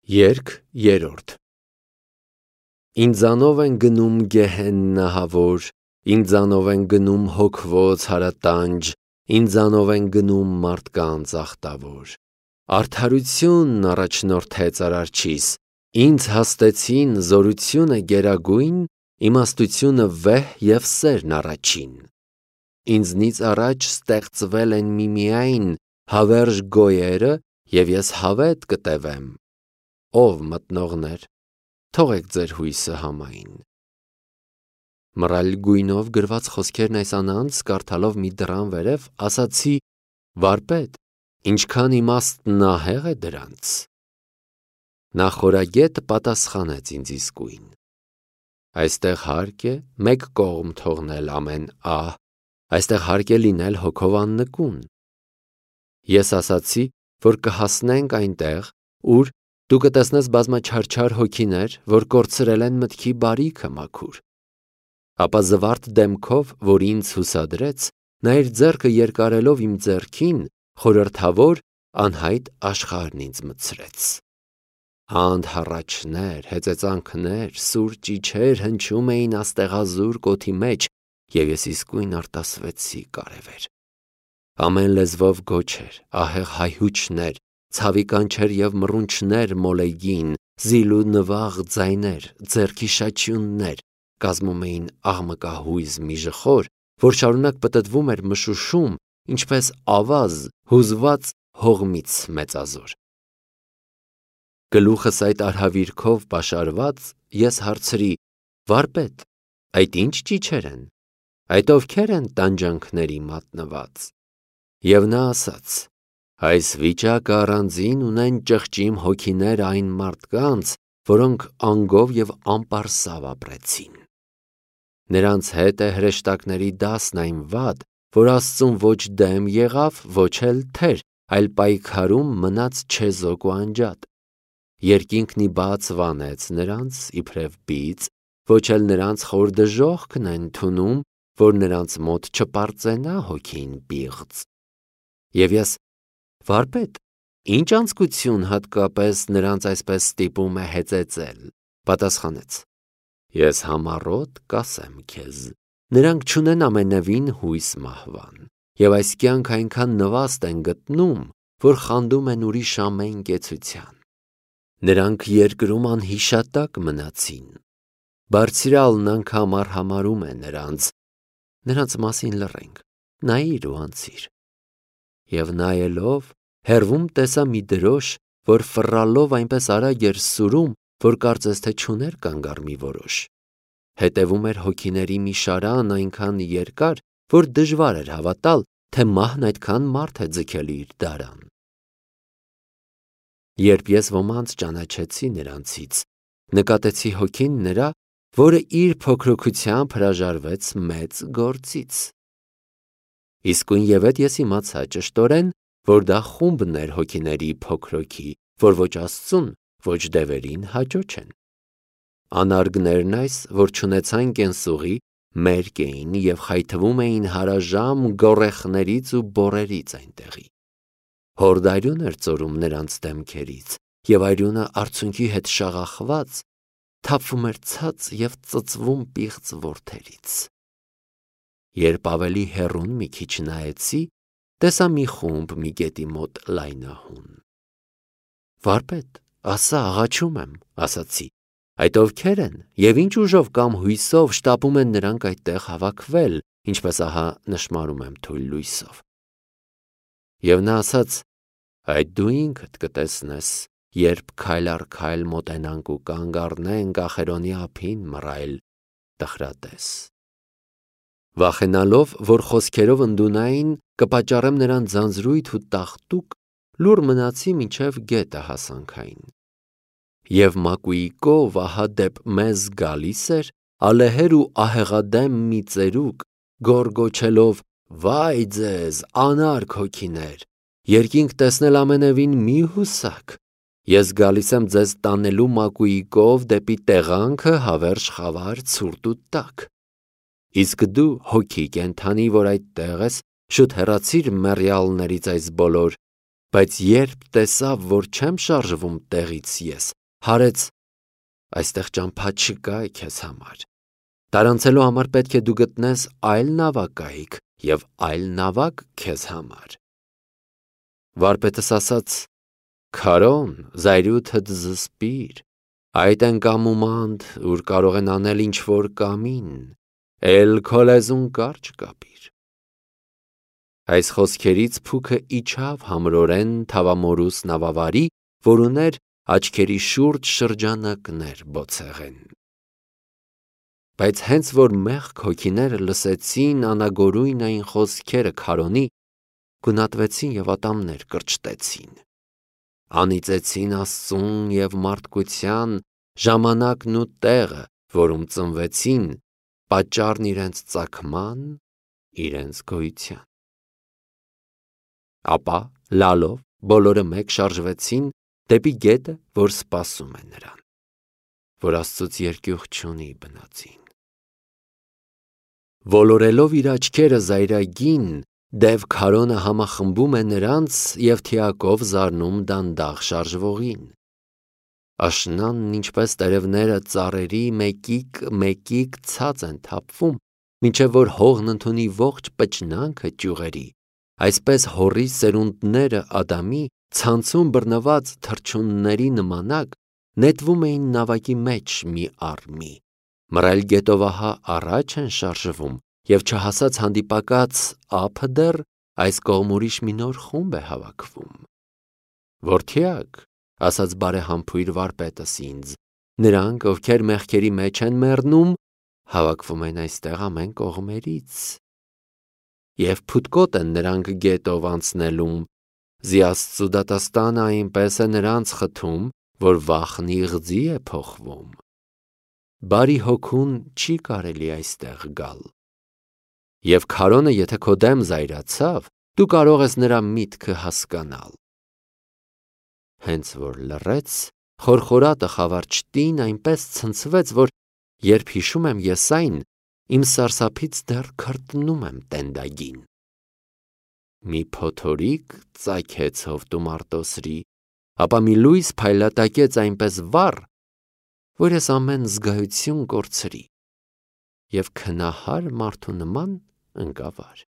Երգ երրորդ Ինձանով են գնում գեհեննահավոր, ինձանով են գնում հոգվոց հարատանջ, ինձանով են գնում մարդկանց ախտավոր։ Արդարությունն առաջնորդեց Արարչիս, ինձ հաստեցին զորությունը գերագույն, իմաստությունը վեհ և սերն առաջին։ Ինձնից առաջ ստեղծվել են միմիայն հավերժ գոյերը, և ես հավետ կտևեմ։ Ով մտնողներ, թողեք ձեր հույսը համային։ Մռայլ գույնով գրված խոսքերն այս անանց կարդալով մի դռան վերև, ասացի. վարպետ, ինչքան իմաստն ահեղ է դրանց։ Նախորագետը պատասխանեց ինձ իսկույն. այստեղ հարկ է մեկ կողմ թողնել ամեն ահ, այստեղ հարկ է լինել հոգով աննկուն։ Ես ասացի, որ կհասնենք այնտեղ, ուր դու կտեսնես բազմաչարչար հոգիներ, որ կորցրել են մտքի բարիքը մաքուր։ Ապա զվարթ դեմքով, որ ինձ հուսադրեց, նա իր ձեռքը երկարելով իմ ձեռքին, խորհրդավոր, անհայտ աշխարհն ինձ մտցրեց։ Անհառաչներ, հեծեծանքներ, սուր ճիչեր հնչում էին աստեղազուրկ օդի մեջ, և ես իսկույն արտասվեցի կարևեր։ Ամեն լեզվով գոչեր, ահեղ հայհուչներ, ցավի կանչեր և մռունչներ մոլեգին, զիլ ու նվաղ ձայներ, ձեռքի շաչյուններ կազմում էին աղմկահույզ մի ժխոր, որ շարունակ պտտվում էր մշուշում, ինչպես ավազ հուզված հողմից մեծազոր։ Գլուխս այդ արհավիրքով պաշարված, ես հարցրի. վարպետ, այդ ի՞նչ ճիչեր են, այդ ովքեր են տանջանքների մատնված։ Եվ նա ասաց. այս վիճակը առանձին ունեն ճղճիմ հոգիներ այն մարդկանց, որոնք անգով և անպարսավ ապրեցին։ Նրանց հետ է հրեշտակների դասն այն վատ, որ Աստծուն ոչ դեմ եղավ, ոչ էլ թեր, այլ պայքարում մնաց չեզոք ու անջատ։ Երկինքն ի բաց վանեց նրանց, իբրև բիծ, ոչ էլ նրանց խոր դժոխքն է ընդունում, որ նրանց մոտ չպարծենա հոգին պիղծ։ Եվ ես. վարպետ, ի՞նչ անձկություն հատկապես նրանց այսպես ստիպում է հեծեծել, պատասխանեց. ես համառոտ կասեմ քեզ, նրանք չունեն ամենևին հույս մահվան, և այս կյանք այնքան նվաստ են գտնում, որ խանդում են ուրիշ ամեն կեցության։ Նրանք երկրում անհիշատակ մնացին, Բարձրյալն անգամ արհամարհում է նրանց մասին լռենք, նայիր ու անցիր։ Եվ նայելով, հեռվում տեսա մի դրոշ, որ ֆռռալով այնպես արագ էր սուրում, որ կարծես թե չուներ կանգառ մի որոշ։ Հետևում էր հոգիների մի շարան այնքան երկար, որ դժվար էր հավատալ, թե մահն այդքան մարդ է ձգել իր դարան։ Երբ ես ոմանց ճանաչեցի նրանցից, նկատեցի հոգին նրա, որը իր փոքրոգությամբ հրաժարվեց մեծ գործից։ Իսկույնևեթ ես իմացա ճշտորեն, որ դա խումբն էր հոգիների փոքրոքի, որ ոչ Աստծուն, ոչ դևերին հաճո չեն։ Անարգներն այս, որ չունեցան կենսուղի, մերկ էին և խայթվում էին հարաժամ գոռեխներից ու բոռերից այնտեղի։ Հորդ արյուն էր ծորում նրանց դեմքերից, և արյունը արցունքի հետ շաղախված թափվում էր ցած և ծծվում պիղծ որդերից։ Երբ ավելի հեռուն մի քիչ նայեցի, տեսա մի խումբ մի գետի մոտ լայնահուն։ Վարպետ, ասա, աղաչում եմ, ասացի, այդ ովքեր են և ինչ ուժով կամ հույսով շտապում են նրանք այդտեղ հավաքվել, ինչպես ահա նշմարում եմ թույլ լույսով։ Եվ նա ասաց. այդ դու ինքդ կտեսնես, երբ քայլ առ քայլ մոտենանք ու կանգ առնենք ախերոնի ափին մռայլ տխրատես։ Վախենալով, որ խոսքերով ընդունային, կպատճառեմ նրան ձանձրույթ ու տաղտուկ, լուռ մնացի մինչև գետը հասանք այն։ Եվ մակույկով ահա դեպ մեզ գալիս էր ալեհեր ու ահեղադեմ մի ծերուկ, գոռգոչելով. վայ ձեզ, անարգ հոգիներ, երկինք տեսնել ամենևին մի հուսաք, ես գալիս եմ ձեզ տանելու մակույկով դեպի տեղանքը հավերժ խավար ցուրտ ու տաք։ Իսկ դու, հոգի կենդանի, որ այդտեղ ես, շուտ հեռացիր մեռյալներից այս բոլոր, բայց երբ տեսավ, որ չեմ շարժվում տեղից ես, հարեց. «Այստեղ ճամփա չկա քեզ համար։ Տարանցելու համար պետք է դու գտնես այլ նավակայք և այլ նավակ քեզ համար»։ Վարպետս ասաց. «Քարոն, զայրույթդ զսպիր, այդ են կամումանդ, ուր կարող են անել ինչ-որ կամին, էլ քո լեզուն կարճ կապիր»։ Այս խոսքերից փուքը իջավ համրորեն թավամորուս նավավարի, որ ուներ աչքերի շուրջ շրջանակներ բոցեղեն։ Բայց հենց որ մեղք հոգիները լսեցին անագորույն այն խոսքերը քարոնի, գունատվեցին և ատամներ կրճտեցին, անիծեցին Աստծուն և մարդկության ժամանակն ու տեղը, որում ծնվեցին, պատճառն իրենց ծագման, իրենց գոյության։ Ապա լալով բոլորը մեկ շարժվեցին դեպի գետը, որ սպասում է նրան, որ Աստծուց երկյուղ չունի բնածին։ Ոլորելով իր աչքերը զայրագին, դև քարոնը համախմբում է նրանց և թիակով զարնում դանդաղ շարժվողին։ Աշնանն ինչպես տերևները ծառերի մեկիկ ցած են թափվում, մինչև որ հողն ընդունի ողջ պճնանքը ճյուղերի, այսպես հոռի սերունդները Ադամի ցանցում բռնված թռչունների նմանակ նետվում էին նավակի մեջ մի առ մի, մռայլ գետով ահա առաջ են շարժվում, և չհասած հանդիպակաց ափը դեռ այս կողմ ուրիշ մի նոր խումբ է հավաքվում։ «Որդյակ», ասաց բարեհամբույր վարպետս ինձ, «նրանք, ովքեր մեղքերի մեջ են մեռնում, հավաքվում են այստեղ ամեն կողմերից, և փութկոտ են նրանք գետով անցնելուն, զի Աստծու դատաստանը այնպես է նրանց խթում, որ վախն իղձի է փոխվում։ Բարի հոգուն չի կարելի այստեղ գալ։ Եվ քարոնը եթե քո դեմ զայրացավ, դու կարող ես նրա միտքը հասկանալ»։ Հենց որ լռեց, խորխորատը խավար չտին այնպես ցնցվեց, որ երբ հիշում եմ ես այն, իմ սարսափից դեռ քրտնում եմ տենդագին։ Մի փոթորիկ ծագեց հովտում արտոսրի, ապա մի լույս փայլատակեց այնպես վառ, որ ես ամեն զգայություն կորցրի և քնահար մարդու նման ընկա վար։